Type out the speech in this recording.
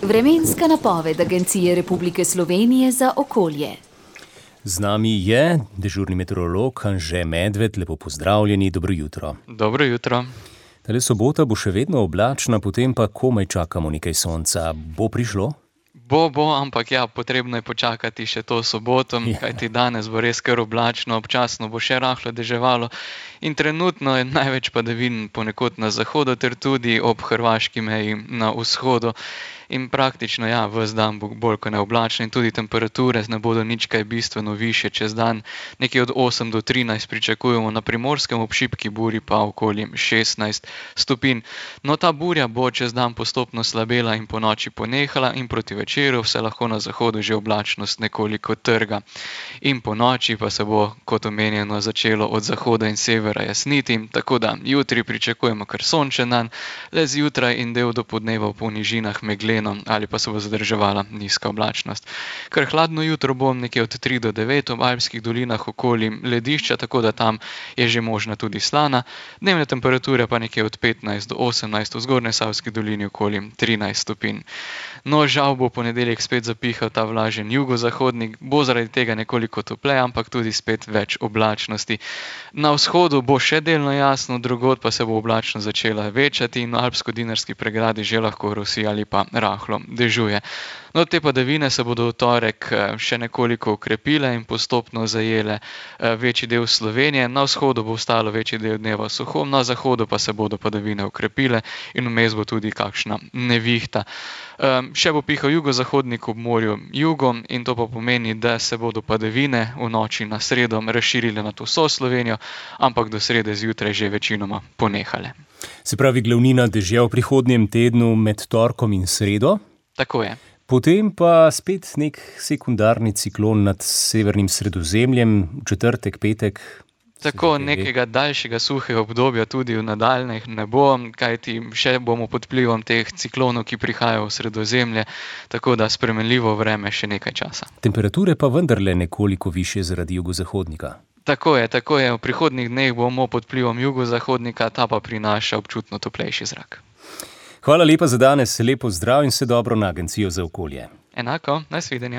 Vremenska napoved Agencije Republike Slovenije za okolje. Z nami je dežurni meteorolog Anže Medved. Lepo pozdravljeni, dobro jutro. Dobro jutro. Tale sobota bo še vedno oblačna, potem pa komaj čakamo nekaj sonca. Bo prišlo? Bo, ampak potrebno je počakati še to soboto, kajti danes bo res kar oblačno, občasno bo še rahlo deževalo in trenutno je največ padavin ponekod na zahodu ter tudi ob hrvaški meji na vzhodu. In praktično, ves dan bo bolj kot ne oblačno in tudi temperature ne bodo nič kaj bistveno višje čez dan. Nekje od 8 do 13 pričakujemo, na Primorskem ob šibki burji pa okoli 16 stopinj. No, ta burja bo čez dan postopno slabela in ponoči ponehala in proti večeru se lahko na zahodu že oblačnost nekoliko trga. In ponoči pa se bo, kot omenjeno, začelo od zahoda in severa jasniti, tako da jutri pričakujemo kar sončen dan, le zjutraj in del do podneva v nižinah megleno ali pa se bo zadrževala nizka oblačnost. Kar hladno jutro bo nekje od 3 do 9 v alpskih dolinah okoli ledišča, tako da tam je že možna tudi slana. Dnevne temperature pa nekje od 15 do 18, v Zgornjesavski dolini okoli 13 stopinj. No, žal bo ponedeljek spet zapihal ta vlažen jugozahodnik, bo zaradi tega nekoliko topleje, ampak tudi spet več oblačnosti. Na vzhodu bo še delno jasno, drugod pa se bo oblačnost začela večati in v alpsko-dinarski pregradi že lahko rosi ali pa rahlo dežuje. No, te padavine se bodo v torek še nekoliko okrepile in postopno zajele večji del Slovenije. Na vzhodu bo ostalo večji del dneva suho, na zahodu pa se bodo padavine okrepile in vmes bo tudi kakšna nevihta. Še bo pihal jugozahodnik ob morju jugom in to pa pomeni, da se bodo padavine v noči na sredo razširile nad vso Slovenijo, ampak do srede zjutraj že večinoma ponehale. Se pravi, glavnina dežja v prihodnjem tednu med torkom in sredo? Tako je. Potem pa spet nek sekundarni ciklon nad severnim Sredozemljem, v četrtek, petek. Tako, nekega daljšega suhega obdobja tudi v nadaljnjih ne bo, kajti še bomo pod vplivom teh ciklonov, ki prihajajo v Sredozemlje, tako da spremenljivo vreme še nekaj časa. Temperature pa vendarle nekoliko višje zaradi jugozahodnika. Tako je. V prihodnjih dneh bomo pod vplivom jugozahodnika, ta pa prinaša občutno toplejši zrak. Hvala lepa za danes, lepo zdrav in vse dobro na Agencijo za okolje. Enako, nasvidenje.